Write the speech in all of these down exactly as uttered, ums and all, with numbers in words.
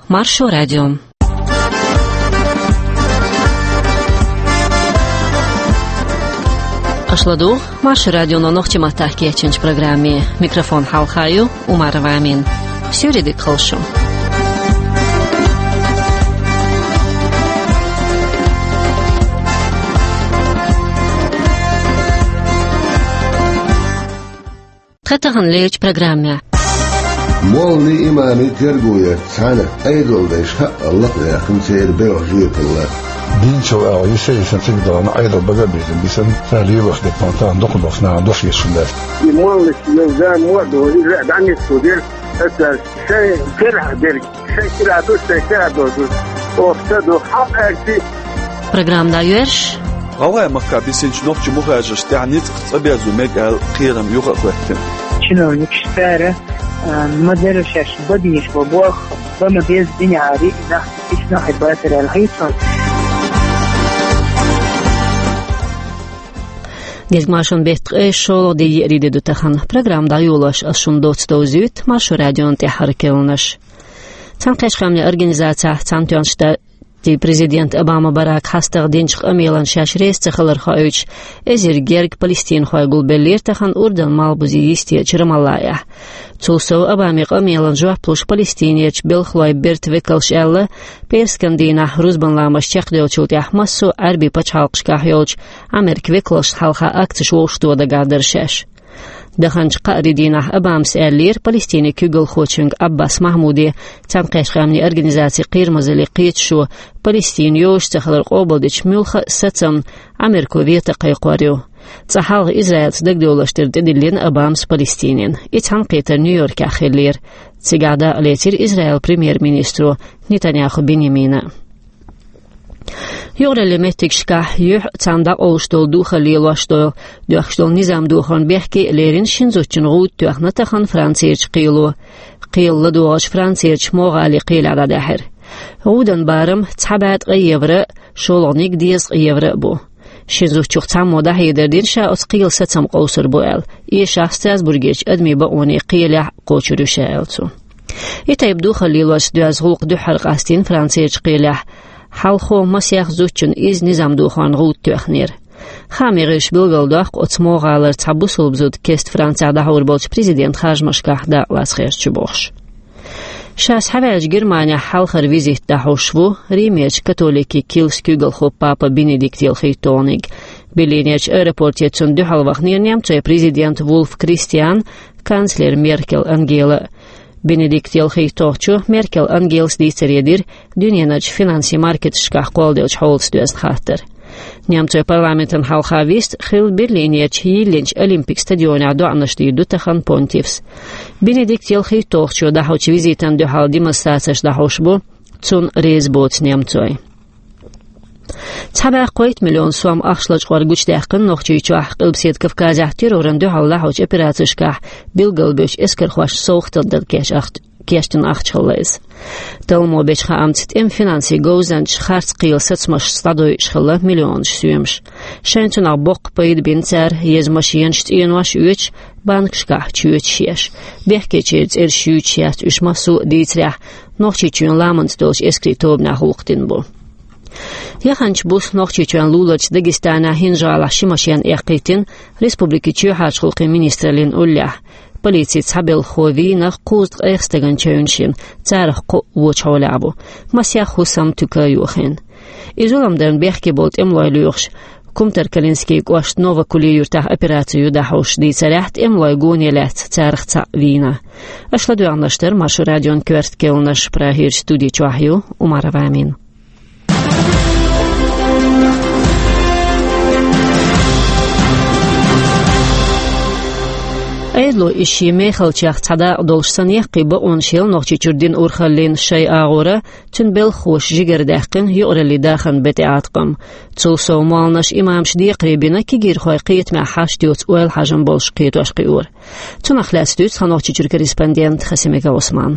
Маршо радио. Аша ладугӀу Маршо радионо нохчийн маттахь кечйинчу программе. Микрофон хьалха ю Умарова Амина. Суьйре дика хуьлда шун. Тхан тахана лерчу программехь. Моллий, имамий терго ярца цхьаьна Ӏедалдайша хаъал лакхаваьккхина церан белхан жоьпалла. Динчул агӀо йиса-йисина цига дахана Ӏедал бага а бийзина бисина, цара лелош дерг тахана дукха долуш нахана дош езаш хӀума дац. И моллаша йолу зама а ду, иза а дӀанисдо дерг, аса шайн карахь дерг. Шайн кира ду, шайн кира ду. Оха ца ду, хьакъ аьлчи. Программа дӀайоьрзуш. ГӀалгӀай-Махкахь бисинчу нохчийн мухӀажаршна тӀехь ницкъ цӀа безо мега аьлла кхерам юха а хӀоьттина. Чиновникаш цара, а, ма-дарра шаьш бан безаш бо боху, бан ма-безза динехь а риъна, исна хьайн бацара аьлла хьийцо. Деза маршонан беттан ткъе шолгӀа де, еарин де ду тахана. Программа дӀайолош ас шуна доцца довзуьйту Маршо радион тӀаьххьара керланаш. Цхьаьнакхеттачу Къаьмнийн Организацехь Цхьаьнатоьхначу Штатийн президент Обама Барака хьастагӀа динчу къамелана шаьш реза ца хилар хоуьйтуш, эзар гергга палестинхой гулбеллера тахана Урдан малхбузе йистечу Рамаллахехь. Цул сов, Обамин къамелана жоп луш, Палестинерчу белхалойн бертан векалша аьлла, пӀераскан дийнахь рузбан ламаз чекхдевллачул тӀаьхьа массо а Ӏаьрбийн пачхьалкхашкахь йолчу Ӏамеркан векалшна хьалха акцеш вовшахтоха дагахь дара шаьш. Даханчу кхаарин дийнахь Обамас аьллера Палестинан куьйгалхочуьнга Ӏаббас Махьмуде, Цхьаьнакхеттачу Къаьмнийн Организацин кхерамазаллин кхеташо, Палестина йозуш ца хилар къобалдечу муьлхха а сацамна Ӏамерко вето кхайкхор ю. Цкъа хьалха Израилца дагадовларш тӀера тӀедиллина Обамас Палестинина. И цхьаьнакхетар Нью-Йоркехь хиллера. Цигахь дакъа лецира Израилан премьер-министро Нетаньяху Биньямина. Юкъараллин меттигашкахь юьхь а, царна дӀакъовлуш долу духар лелош долу, доьхкуш долу низам дохорна бехке а лерина шина зудчун гӀуда тоьхна тахана Францерчу кхело. Кхелан ладогӀарш Францерчу Мо гӀалин кхелехь дӀадаьхьира. ГӀудан барам цхьа бӀе ткъе евро а, шолгӀаниг дезткъа евро а бу. Шина зудчух цхьаммо дӀахьедар дина ша оцу кхелан сацам къовсур бу аьлла, эшахь Страсбургерчу адамийн бакъонийн кхелехь кхочур ю ша аьлла цо. И тайпа духар лелош доьзна гӀуллакх дуьххьара къастийна Францерчу кхелехь. Хьалхо масех зудчунна изза низам дохорна гӀуда тоьхнера. Хаамийн гӀирсаша билгалдоккху оцу Мо гӀалара цхьа бусалба зуда кеста Францехь дӀахьур болчу президентан харжамашкахь дакъалаца херча бохуш. Ша схьаваьллачу Германехь хьалхара визит дӀахьош ву Римерчу католикийн килсан куьйгалхо папа Бенедикт ялхитталгӀаниг. Берлинерчу аэропорте цунна дуьхьал вахнера немцойн президент Вулф Кристиан, канцлер Меркел Ангела а. Бенедикт ялхитталгӀачо Меркел Ангелас дийцаре дира дуьненарчу финансийн маркеташкахь кхолладеллачу хьолаца доьзна хаттар. Немцойн парламентана хьалха вист хилла Берлинерчу йиллинчу Олимпик стадионехь доӀанаш дийр ду тахана понтифс. Бенедикт ялхитталгӀачо дӀахьочу визитана дуьхьал демонстрацеш дӀахьош бу, цунна реза боцу немцой. Цхьа бӀе кхойтта миллион сом ахча лачкъор гучудаьккхина Нохчийчохь, Къилбаседа Кавказехь террорна дуьхьал дӀахьочу операцешкахь билгалбевллачу эскархошна совгӀатана дан кечдина ахча хилла иза. Талламо бечу хаамца, тӀеман финансийн говзанчаша харц кхелан сацамашца дӀадойуш хилла миллионаш соьмаш. Шайна цунах боккха пайда бина цара, еза машенаш, цӀенош оьцуш, банкашкахь чоьташ еш. Бехкечеран цӀераш юьйцуш яц уьш, массо а дийцарехь, Нохчийчоьнан ламанца долчу эскарийн тобанехь гӀуллакх дина бу. Яханчу буса Нохчийчоьнан луларчу Дагестанехь ХӀинжа-ГӀалахь ши машен эккхийтина республикин чоьхьарчу гӀуллакхийн министраллин уллехь. Полицин цхьа белхахо вийна кхузткъе ткъех стагана чевнаш йина, царах кхоъ вочу хьолехь бу. Масех хӀусам, туька а йохийна. И зулам дарна бехке болу тӀемалой лоьхуш, Кумтаркалинскийн кӀоштан Новокули юьртахь операци ю дӀахьош дийцарехь, тӀемалойн гоне лаьцна царах цхьаъ вийна. Аша ладоьгӀнарш дара Маршо радион коьрта керланаш, Прагерчу студи чохь ю Умарова Амина. Ӏедало иза шен мехалчех цхьа дакъа долуш санна, яккхий бакъонаш елла Нохчийчуьра динан урхаллин шайн агӀора, цуьнан белхахоша жигара даьккхина юкъараллин дахаран бетӀеӀаткъам. Цул сов, молланаша, имамаша декхаре бина кегийрхой кхетамехь хьашт йоцу ойла-хьажам болуш кхетош кхиор. Цунах лаьцна дуьйцу тхан Нохчийчуьра корреспондент Хасимиков Ӏусман.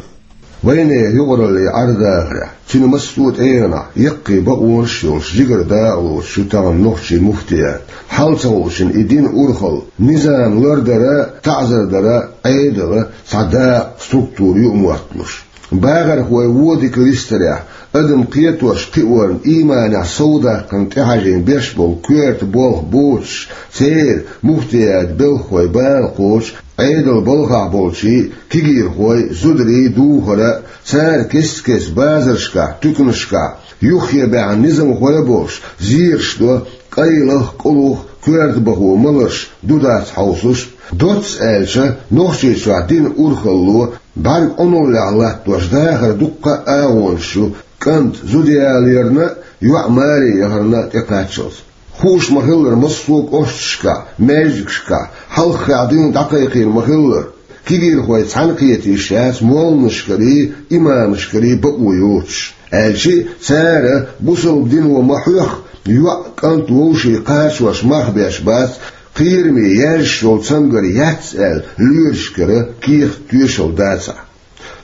Вайнехан юкъараллин Ӏер-дахарехь, цуьнан массо а тӀегӀанехь яккхий бакъонаш а йолуш, жигара дакъа лоцуш ю тахана нохчийн муфтият. Хьал ца хууш йина и динан урхалла, низам лардар а, таӀзар дар а Ӏедалан цхьа дакъа, структура ю а мотталуш. Бахархой вон дика листарехь, адам кхетош кхиорна иманехь совдаккхана тӀехьажийна беш болу коьрта болх боцуш, церан муфтиятан белхахой бала кхочуш, Ӏедалан балхахь болчийн, кегийрхойн, зударийн духар а, цара кест-кеста базаршкахь, туьканашкахь, юххе баьхна низамхой а болуш, зераш до, къайлах а, къулах а коьртабахо маларш ду-дац хьовсуш, доцца аьлча, Нохчийчохь динан урхалло бӀаьрг Ӏуналлехь латтош дахар дуккха а агӀонаш ю, кӀант зуда яларна а, йоӀ маре яхарна а тӀекхаччалц. Хууш ма-хиллара, массо а кӀошташкахь, маьждигашкахь, хьалххехь дуьйна дӀакхайкхийна ма-хиллара, кегийрхой цхьаьна кхета йиш яц молланашкарий, имамашкарий бакъо йоцуш. Аьлча а, цара бусалба дино ма-хьоьхху, йоӀ, кӀант, вовшийн кхачош мах беш бац, кхераме яьржаш йолу цамгар яц аьлла, лоьрашкара кехат, тоьшалла дацахь.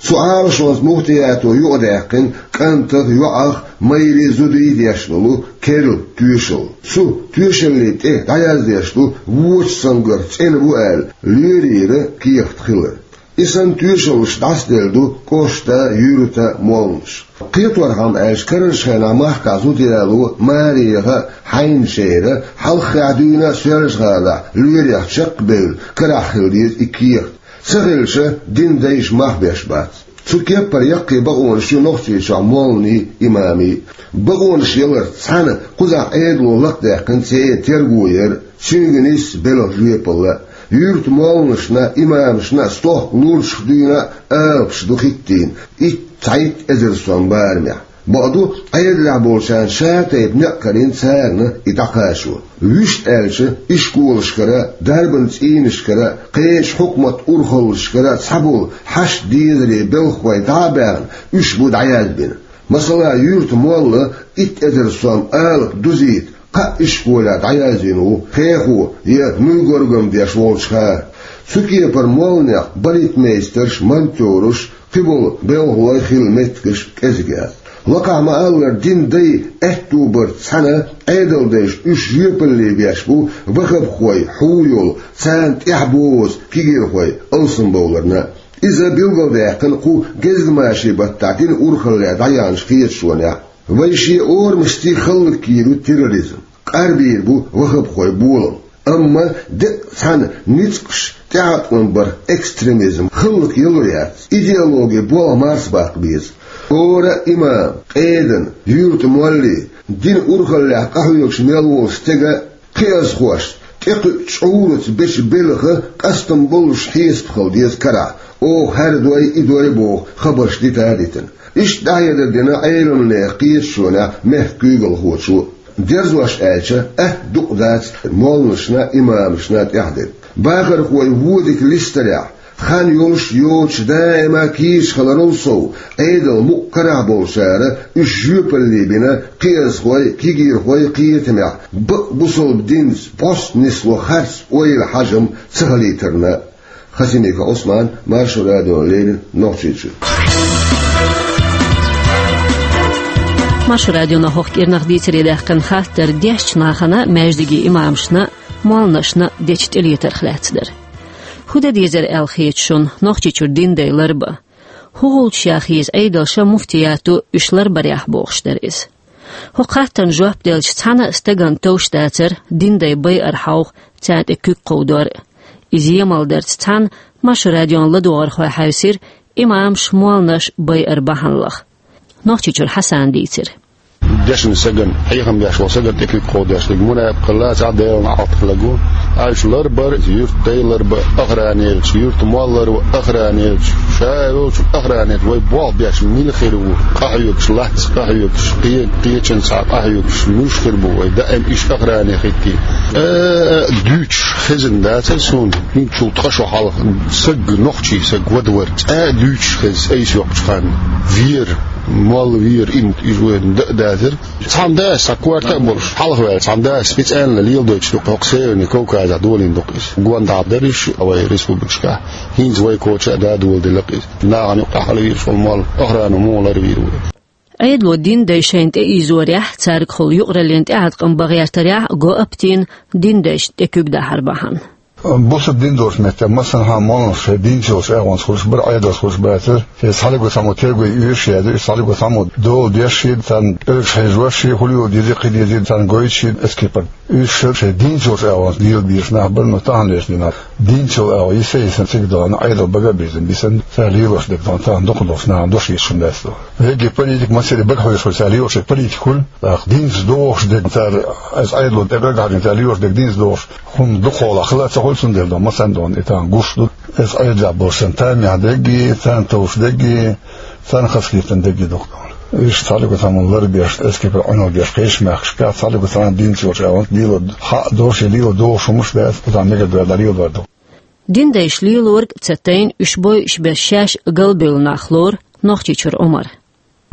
Цу Ӏалашонца муфтиято юкъадаьккхина кӀантах а, йоӀах а, майрий а, зудий а деш долу керла тоьшалла. Цу тоьшаллин тӀе дӀаяздеш ду, вочу цамгарх цӀена бу аьлла, лоьрийн кехат хилар. И санна тоьшаллаш дӀасаделла ду кӀоштан, юьртан молланаш. Кхеторхьама аьлча, карарчу хенахь махкахь зуда яло маре яха а, хьайначеран а, хьалххехь дуьйна а Соьлжа-ГӀалахь лоьрех чекхбевлла, карахь хила деза и кехат. Ца хилча, динан дайша мах беш бац. Цу кеппара яккхий бакъонаш ю Нохчийчохь молланийн, имамийн. Бакъонаш яларца цхьаьна кхузахь Ӏедало лакхадаьккхина церан терго яр а, цуьнга нийсса белхан жоьпалла а. Юьртан молланашна а, имамашна а стохка лурчах дуьйна а алапаш ду хӀиттийна, итт, цхьайтта эзар сом барамехь. Бакъду, Ӏедалехь болчарна шатайпа некъ карийна царна и дӀакхачо. Вуьшта аьлча, ишколашкара а, дарбан цӀийнашкара а, кхечу хьукматан урхаллашкара а цхьаболу хьашт-дезарийн белхахой дӀа а баьхна, уьш бу дӀаязбина. Масала, юьртан молла итт эзар сом алапа дузийта кхаа ишколехь дӀаяздина ву, хехо я нуй горгам деш волчу хана. Цу кепара молланех балетмейстерш, монтёраш, кхиболу белхалой хила меттигаш кӀезиг яц. Лакхахь ма-аллара, динан дай аьтто барца цхьаьна Ӏедалдайша уьш жоьпалле беш бу ваххабхой хьу йолу, царна тӀаьхьабоза кегийрхой алсамбовларна. Иза билгалдаьккхина кху гезгмашин баттахь динан урхалле дӀаяьхначу кхеташонехь. Вайн шен орамашций хӀаллакйийр ю терроризм, къарбийр бу ваххабхойн болам. Амма деккъа цхьана ницкъаша тӀеӀаткъам барх экстремизм хӀаллакъялур яц, идеологин болх марсабаккха беза. ХӀора а имам, къедан, юьртан молли, динан урхаллехь къахьоьгуш мел волу стеган кхиазхошца тӀекхуьучу чкъураца бечу белхан къастам боллуш хьесап хила деза карахь, оха хӀара дой, и дой боху хабарш дита а дитина. Иштта дӀахьедар дина Ӏеламнехан кхеташонехь мехкан куьйгалхочо. Дерзош аьлча, атта дукъ дац молланашна а, имамашна а тӀехь дерг. Бахархой вон дика листарехь, хан йолуш а, йоцуш а даима кийча хиларал сов, Ӏедал мукъа карахь болчара уьш жоьпалле бина кхиазхой, кегийрхой кхетамехь, бакъ бусалба динца бӀостанисло харц ойла, хьажам ца хилийтарна. Хасимиков Ӏусман, Маршо радиона леррина, Нохчийчуьра. Маршо радионо хӀокху кӀирнах дийцаре даьккхина хаттар дешначу нахана, маьждигийн имамашна а, молланашна а дечу тӀелетарх лаьцна дара. ХӀун дан дезара аьлла хета шуна Нохчийчуьра динан дай ларбан? ХӀун гӀулчаш яха еза Ӏедалша, муфтиято уьш ларбарехь, бохуш дара иза. ХӀокху хаттарна жоп делча, цхьана а стагана товш дацара динан дай байар хьовха, царна тӀе куьг кховдор а. Иза емал дарца цхьаьна Маршо радион ладогӀархой хьаьвсира имамаш, молланаш байар бахьана лаха. Нохчийчуьра Хьасана дийцира. Дешна стагана, хьехам беш волу стагана тӀе куьг кховдош дерг мунепакъалла, цхьа Делан Ӏалт хилла гу. Аьлча ларбар, юьртан дай ларбан охранерчу, юьртан молла ларбан охранерчу, ша а волчу охранерчу вай болх беш мила хир ву, къахьоьгуш лац, къахьоьгуш кхе-, кхечанца къахьоьгуш муьлш хир бу вай, даим иштта охране хӀиттий. Э, дуьйцуш хезна дацара суна, хӀинцул ткъа шо хьалха саг, нохчий саг вада вара, цкъа а дуьйцуш хезна айса йоккхучу ханна. Вера, молла вера, имам, иза вайна дан а дацара. Цхьана дас, цхьа корта а болуш, хьалхаваьлла, цхьана дас специально леладойтуш ду-кх хӀокху Северный Кавказехь, долийна ду-кх иза. Гондахь дара уьш вай республикашкахь. ХӀинца вай коча а да доладелла-кх иза. Нахана юкъахь хьалавийраш волу молла, охрано муха ларвийр ву? Ӏедало динан дай шайна тӀеийзорехь, цаьргахула юкъараллина тӀеӀаткъам бан гӀертарехь го а битийна динан дайшна тӀе куьг дахьар бахьана. Бусалба дин долчу меттехь массанхьа молланаш шайн динца йолчу агӀонца хуьлуш бара, Ӏедалца хуьлуш бацара. Шайн цхьаьллиг цхьаммо терго йоьшуш яра, уьш цхьаьллиг цхьаммо дола деш шен, царна оьгӀаз хьежош шен, хӀун лела дезий, кхин дезий, царна гойтуш шен эскипар. Уьш шайн динца йолчу агӀонца лела безаш нах бара, но тахана вешан динахь динца йолу агӀо йиса-йисина цига догӀна, Ӏедал бага бийзина бисина, цара лелош дерг дан, тахана дукха долуш нахана дош йиш хӀума дац до. Вегги политик массаьрга бага хьоьжуш хуьлу, цара лелош дерг политик хуьлу, тӀаккха динца догӀуш дерг цара, аса Ӏедало тӀе бага хьажийна, цара лелош дерг динца догӀуш, хӀума дукха хьолахь хила а ца хуьлу, цундела до, масанна догӀна и тахана гуш ду. Аса Ӏедалехь болуш санна тамехь дерг, царна товш дерг, царна хазахетам дерг ду-кх. Уьш цхьаьллиг цхьаммо ларбеш, эскипар Ӏуьналла деш кхечу мехкашкахь цхьаьллиг цхьана динца йолчу агӀонца лела хьаъ долуш я лела догӀуш хӀумаш дац, кхузахь мегар доьлла лелор ду. Дин дайша лелориг а ца тайна, уьш бойуш берш шаьш галбевлла нах лору Нохчийчуьра Ӏумар.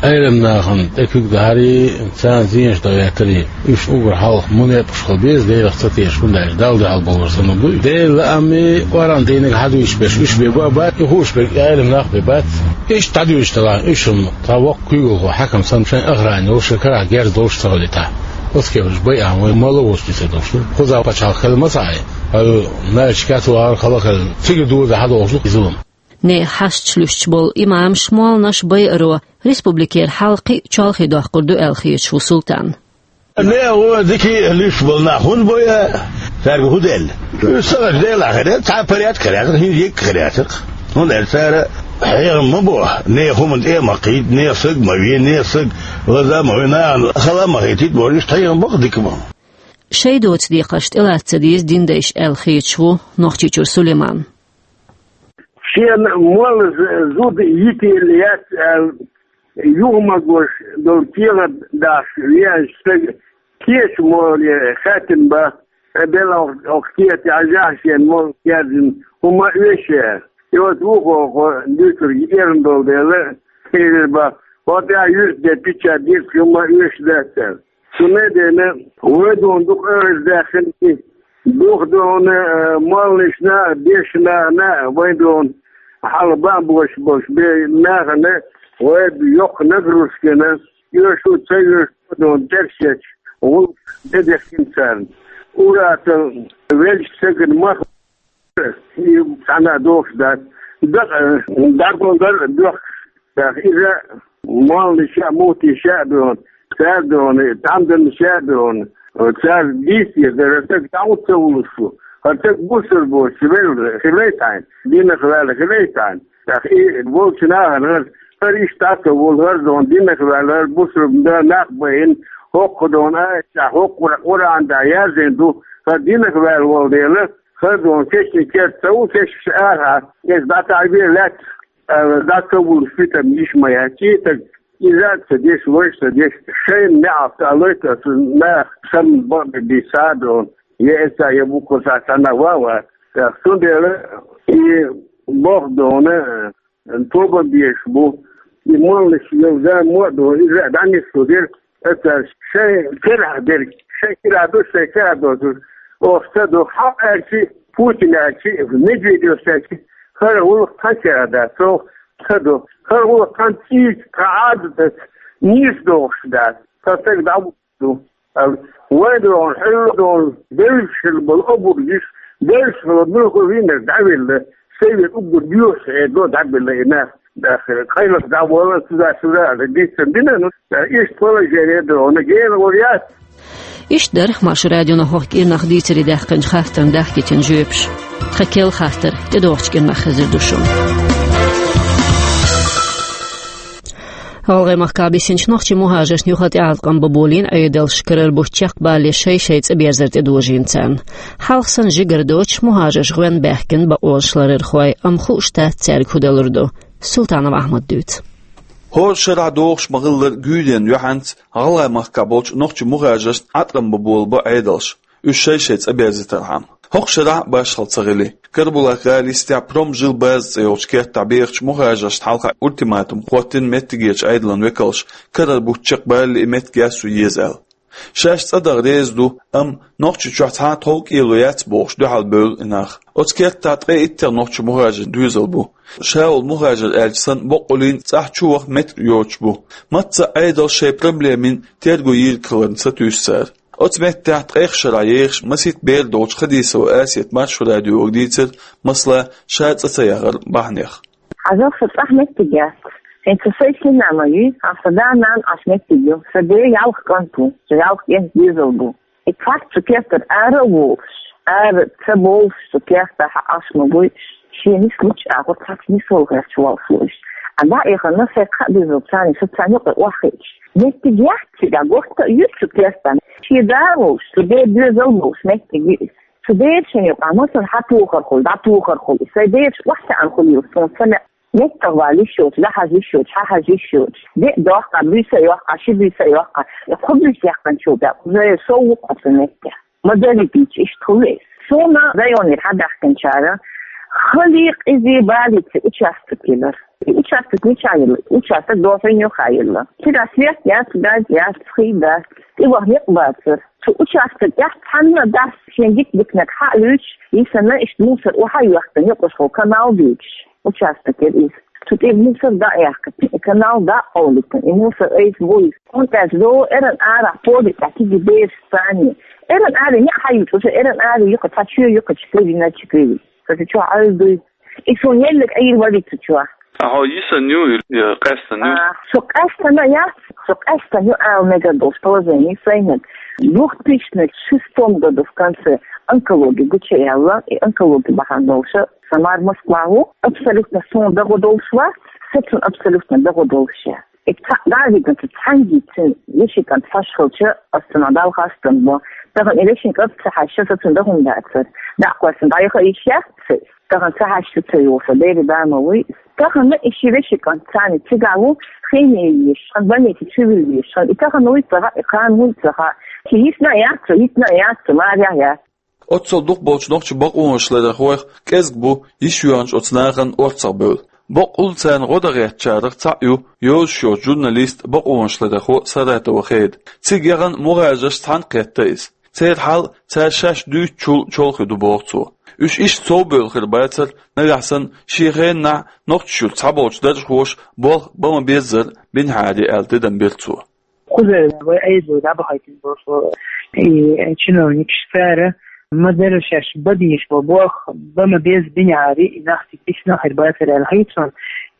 Ӏелам нахана тӀе куьг дахьарий, царна зенаш дан гӀертарий, уьш уггар хьалха мунепакъаш хила беза, Делах ца тешаш, хӀунда аьлча Далла дуьхьал бовлар санна ду. Делан лаамий, Къуръан дийниг хьадуьйцуш берш уьш бен бу а бац, и хууш берг и Ӏелам нах бен бац. Иштта дӀадуьйцуш делахь, уьш хӀума тхан воккха куьйгалхо хьаькам санна шайн охрана йолуш, шайн карахь герз долуш ца хуьлу и тӀаккха. Оцу кепаш байахь вайн молла воцу дуьйцур долуш ду. Кхузахь пачхьалкх хила ма ца Ӏай, хӀара наьрчу кац вахар хала хила, цигара доза хьадохуш ду иза хӀума. Нехан хьашташ луьстуш болу имамаш, молланаш байаро республикера хьал кхин а чолхе доккхур ду аьлла хеташ ву Султан. Нехан дика а луьстуш болу нах хӀунда бой а, цаьрга хӀун делла? Уьш ца хилча, Делахь хир яра, цхьа а порядок хир яцара, хӀинца дика хир яцара. ХӀунда аьлча цара хьехам ма бо, нехан хӀуманна тӀе а ма кхийда, нехан саг ма ве, нехан саг лаза а ма ве, нахана хала а ма хийтийта бохуш, иштта хьехам бо-кх дика ма. Шайн доцу декхарш тӀелаца ца деза дин дайша аьлла хеташ ву Нохчийчуьра Сулайман. Шена молла з-, зуда йитийла яц аьлла, юха ма гуш долу кехат дахьаш веанчу стага кеча молле хаьттина бац, ткъа бел окх-, окху кехатехь жахьа шена молла кхаьрдина хӀума а оьшу аьлла. И оцу вукхо хьо дуьйцург эрна долу дела, элира бац, хьо тӀехь юьртде печать дийриг хӀума а оьшу дац аьлла. Цундела вай дуьйна дукха оьрза даьхна и, дукха дуьйна, э, молланашна а, дешнашна а вай дуьйна хьалха бан боцуш болуш бен нахана вай йоккха нагрузкина, оьшу а, ца оьшу а дуьйна тӀерсечу гӀуллакхаш тӀедехкина царна. Ур-атталла веллачу стагана мах и цхьанна а дохуш дац. Дакъа, дӀадолу дар а доьхкуш дац. Иза молланаша а, муфтиша а дуьйна, цара дуьйна, тӀамданаша а дуьйна, цара дийца деза дара, хӀара стаг дӀа хӀунда ца вуллуш ву? ХӀара стаг бусалба воцуш велла хилийта хьайна, динах ваьлла хилийта хьайна. ТӀаккха и волчу нахана хӀара, хӀара иштта дӀа ца вуллу, хӀара дуьйна динах ваьлла, хӀара бусалба нах байина, хӀокху дуьйна аятехь, хӀокху Къуръан тӀехь яздина ду, хӀара динах ваьлла волу дела, хӀара дуьйна кечйина керта ца ву, кечйина арахьа, иза дӀатаӀабе лаьтта, аьлла, дӀа ца вуллуш питам йиш ма яц. И стаг иза а ца деш, вайша а ца деш, шайна неӀалт а лойта оцу наха санна бакъдерг дийца а дуьйна, я эца, я буккъал схьа цхьанна а ван а вац. Цундела и боху дуьйна, тобан безаш бу. И молланаш йолу зама а ду, иза а дӀанисдо дерг, аса шайн карахь дерг, шайн карахь ду, шайн карахь доцург, оха ца до, хьо аьлчи, Путин аьлчи, Медведев аьлчи, хӀара гӀуллакх тхан карахь дац, оха ца до. ХӀара гӀуллакх тхан цӀийца, тхан Ӏадатаца нийса догӀуш дац. Тхан стаг дӀа ду. Вай догӀун, хьуьлла догӀун, девзаш хила болу обург йиш, девзаш хила муьлхха вийнарг дӀавелла, сайн вен уггар доьхуш хьедо дӀабелла и нах, дахар, кхайлакх дӀавала, сюда, сюда, аьлла, дийцина дина, ну, иштта положение догӀун, гена вар яц. Иштта дара Маршо радионо хӀокху кӀирнах дийцаре даьккхинчу хаттарна дахкийтина жоьпаш. Тхан керла хаттар тӀедогӀучу кӀирнах хезар ду шуна. ГӀалгӀай махкахь бисинчу нохчийн мухӀажаршна юха тӀеӀаткъам бан болийна Ӏедалша, карара бутт чекхбалале шай-шай цӀа берзар тӀедожийна царна. Хьалха санна жигара доцуш, мухӀажарш гӀоьнна баьхкина бакъонаш ларархой, амма хууш дац цаьрга хӀун далур ду. Султанов Ахьмада дуьйцу. ХӀора шарахь догӀуш ма-хиллара, гуьйренна юьхьанца ГӀалгӀай махкахь болчу нохчийн мухӀажаршна Ӏаткъам бан болабо Ӏедалша, уьш шай-шай цӀа берзийтархьама. ХӀокху шарахь а башхалла ца хили. Карабулак-гӀала йистехь Промжил база цӀе йолчу кертахь бехачу мухӀажаршна хьалха ультиматум хӀоттийна меттигерчу Ӏедалан векалша, карара бутт чекхбалале и меттиг яссо еза аьлла. Шаьш цӀа даха реза ду, амма Нохчийчохь цхьа а тхов-кӀело яц бохуш дуьхьал бевлла и нах. Оцу кертахь ткъе иттех нохчийн мухӀажарийн доьзал бу. Ша волу мухӀажар аьлча санна, баккъаллин цӀахь чу ваха меттиг йоцуш бу. Мацца а Ӏедалша шайн проблемийн терго йийриг хиларна сатуьйсу цара. Оцу меттехь ткъех шарахь ехаш масийтта бер долчу Хадисова Асета Маршо радиога дийцира, масала, ша цӀа ца яхар бахьанех. Хьажал, сан цӀахь меттиг яц. ХӀинца сайн сина ма ю, хьан сан да-нана Ӏаш меттиг ю. Сан ден ялх кӀант ву, сан ялх кӀентан доьзал бу. И цхьацца цу кертара ара а волуш, ара ца бовлуш цу кертахь Ӏаш ма буй, шен нислучу агӀор цхьацца нисвала гӀерташ волуш ву уьш. Ткъа дӀа а яхана, сайн кхаа доьзалца царна, со царна юкъа охьахиъча, меттиг яц цигахь, гӀорта а ю цу кертахь. Шен да а волуш, цу ден доьзал а болуш меттиг ю иза. Цу берашна юкъахь масала хьан тухар хуьлу, дӀатухар хуьлу, и сайн бераш охьатаьӀна хуьлийла суна ца лаьа. МеттагӀа вала йиш йоцуш, дӀахьажа йиш йоцуш, хьахьажа йиш йоцуш. Де а доккху, буьйса а йоккху, ши буьйса а йоккху. Я кхо буьйса яьккхинчул тӀаьхьа уже сов ву-кх оцу метте. Модалитича иштта хуьлу иза. Суна районера хьадаьхкинчара хала, къиза, балийца участок елира. И участок мичахь елла? Участок Дохьуьн юххе елла. Цигахь свет яц, газ яц, хи дац. ТӀеваха некъ бацара. Цу участок тӀехь цхьанна а дас шен дика-диканиг хьа а луьйчуш, йисина иштта мусор охьа а йоьхкина, юкъахула канал а дуьйцуш, участок яра иза. Цу тӀера мусор дӀа а яьккхина, и канал дӀа а къовлийтина, и мусор айса бу иза. ХӀунда аьлча догӀу эрна арахь поле тӀехь кегий бераш санна. Эрна аре неӀ хьайийцча, уже эрна аре юкъа цхьа чоь ю-кх, чу кевина, чу кевина. Ца чохь Ӏуьллу дуй. И суна еллиг Ӏийр валица чохь. Ахьа йисина ю, я къаьстина ю? А, со къаьстина яц, со къаьстина ю ала мегар долуш положение сайниг. Двух тысячных шестом году в конце онкология гучуяьлла, и онкология бахьана долуша сан мар Москва ву, абсолютно суна дагӀо долуш вац, со цунна абсолютно дагӀо долуш я. И цхьаъ дӀа а вигна, цхьаьнгге цуьнан вешин кӀант хьош хилча, ас цунах Далла хастам бо. Тахана и вешин кӀант ца хьаьжча, со цунна дан хӀума дацара. ДӀа а кхоьссина дӀаяха йиш яц цуьнан. Тахана ца хьаьжча ца йогӀу со, дера да ма вуй. Тахана и ши вешин кӀант царна цигахь ву, химия еш, хьан больнице чу вилла еш, хьан и тахана вуй ца хаьа, и кхана вуй ца хаьа. Ши йисна а яц цо, йитина а яц цо, марехь яц. Оццул дукхахболчу нохчийн бакъонаш ларъярхойх кӀезиг бу йиш йоьхначу оцу нахана орцахбевлла. Баккъалла царна гӀо дан гӀертачарах цхьаъ ю йозуш йоцу журналист, бакъонаш ларъярхо Саратова Хеда. Цига яхана мухӀажарш цхьаьна кхетта иза. Церан хьал цара шаьш дуьйцучул чолхе ду, боху цо. Уьш иштта совбевлла хир бацара, нагахь санна шен хенахь Нохчийчуьра цхьаболчу даржхоша болх бан ма-беззара бинехьара аьлла тидам бира цо. Кхузара вай айзо дӀабахийтина болуш и чиновникаш, цара ма-дарра шаьш бан дезаш болу болх бан ма-беззара бинехьара и нах цига бисина хир бацара аьлла хета суна.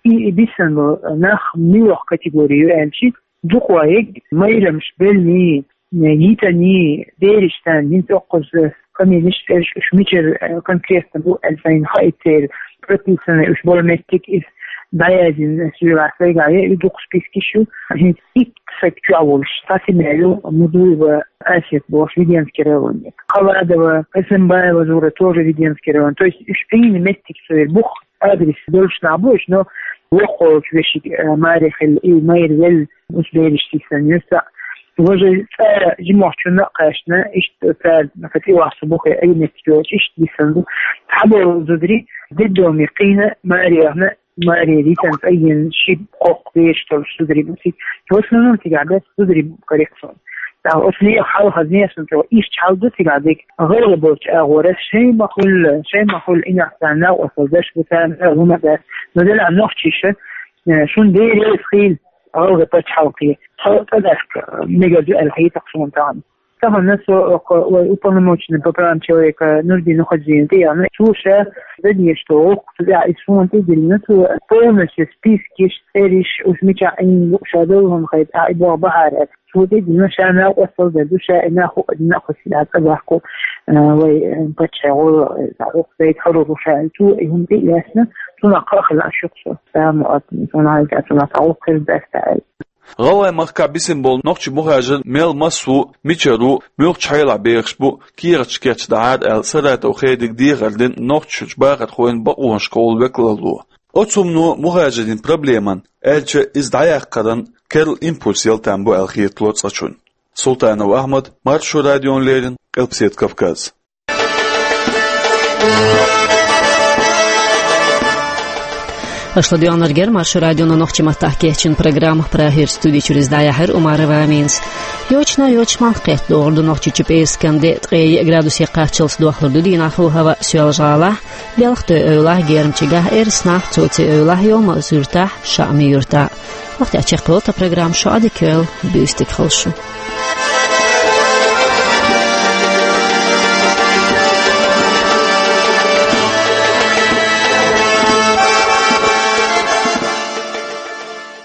И, и бисина болу нах муьлха категори ю аьлча, дукха ваьлла майрамаш беллий, йитаний, бераш санна, хӀинца оккхуза каминаш, цӀераш уьш мичара, э, конкретно бу аьлла сайна хаийта церан, прописанный уьш болу меттиг иза дӀаяздина, соьгахь сайгахь ян, и дукха спискаш ю. ХӀинца итт саг чохь волуш цхьа семья ю, Мудуева Асет бохуш, Веденский район. Халадова, Эсенбаева Зура, тоже Веденский район. То есть уьш Ӏийна меттиг церан бух, адрес долуш нах бу уьш, но воккхачу вешин, э, маре хилла, и майра велла, уьш бераш йисина ю цхьаъ. Важа цӀа жимахчунна а кхаьчна, иштта цара, нах тӀе вахча бухе, ай меттиг йоцуш, иштта йисина ду. Цхьаболу зударий детдоме кхийна, маре яхна, маре йитина, цӀа йина, ши-кхоккха бераш долуш зударий бу цига. В основном цигахь бац зударий бу коррекцион. ТӀаккха оцу нехан хьалха, нехан чӀогӀа иштта хьал ду цигахь дерг. ГӀалгӀа болчу агӀора шайн ма хуьллу, шайн ма хуьллу, иностранный накъосталла даш бу царна, хӀума дац. Но делахь нохчаша, э, шун бераш хила гӀалгӀа пачхьалкхе. Цхьа цӀа даккха мегар ду аьлла хета суна тахана. Тахана со окху вай уполномоченный по правам человека Нурдин Нухаджиевна тӀе яхна, цо ша дадеш долу гӀуллакх цу тӀехь и суна тӀе диллина, цо полностью спискаш, цӀераш, уьш мичахь Ӏийна бу, ша долу хӀума хета, ахь и боху бахьара. Цо тӀе дина, ша накъосталла дер ду, ша и нах хӀуъа дина а кхуьссина цӀа бахку, а, вай, а, паччахьан гӀо, а, гӀуллакх дайта хьур ву ша. Цо и хӀума тӀе а лаьцна, цунах кхаъ хилла аш ю-кх со. Тамуат, цунах хьалха, цунах цхьа гӀуллакх хир дац аьлла. ГӀалгӀай махкахь бисина болу нохчийн мухӀажар мел массо а, мичара ву, муьлхачу хьелахь бехаш бу, кехаташ кечдахьара аьлла, Саратов Хедига дехар дина Нохчийчуьрчу бахархойн бакъонашкахула векалалло. Оцу хӀумано мухӀажарийн проблеман, аьлча иза дӀаяккхаран керла импульс яла там бу аьлла хетало цкъачунна. Султанов Ахьмад, Маршо радиона леррина, Къилбаседа Кавказ. Аша ладоьгӀнарг яра Маршо радион нохчийн маттахь кечйина программа. Прагера студи чуьра иза дӀаяьхьира Умарова Аминас. Йочана, йоча малх кхетта догӀур ду Нохчийчу, пӀераскан де ткъе йиъ градусе кхаччалц дохлур ду дийнахь хӀаваъ Соьлжа-ГӀалахь, Белхатуй-Эвлахь, Гермчигахь, Эрснахь, Цоци-Эвлахь, Йовмал-Юьртахь, ШаӀми-Юьртахь. Вахтехь чекхвелла тхан программа, шу Ӏадика йойла, буьйса дика хуьлда шун.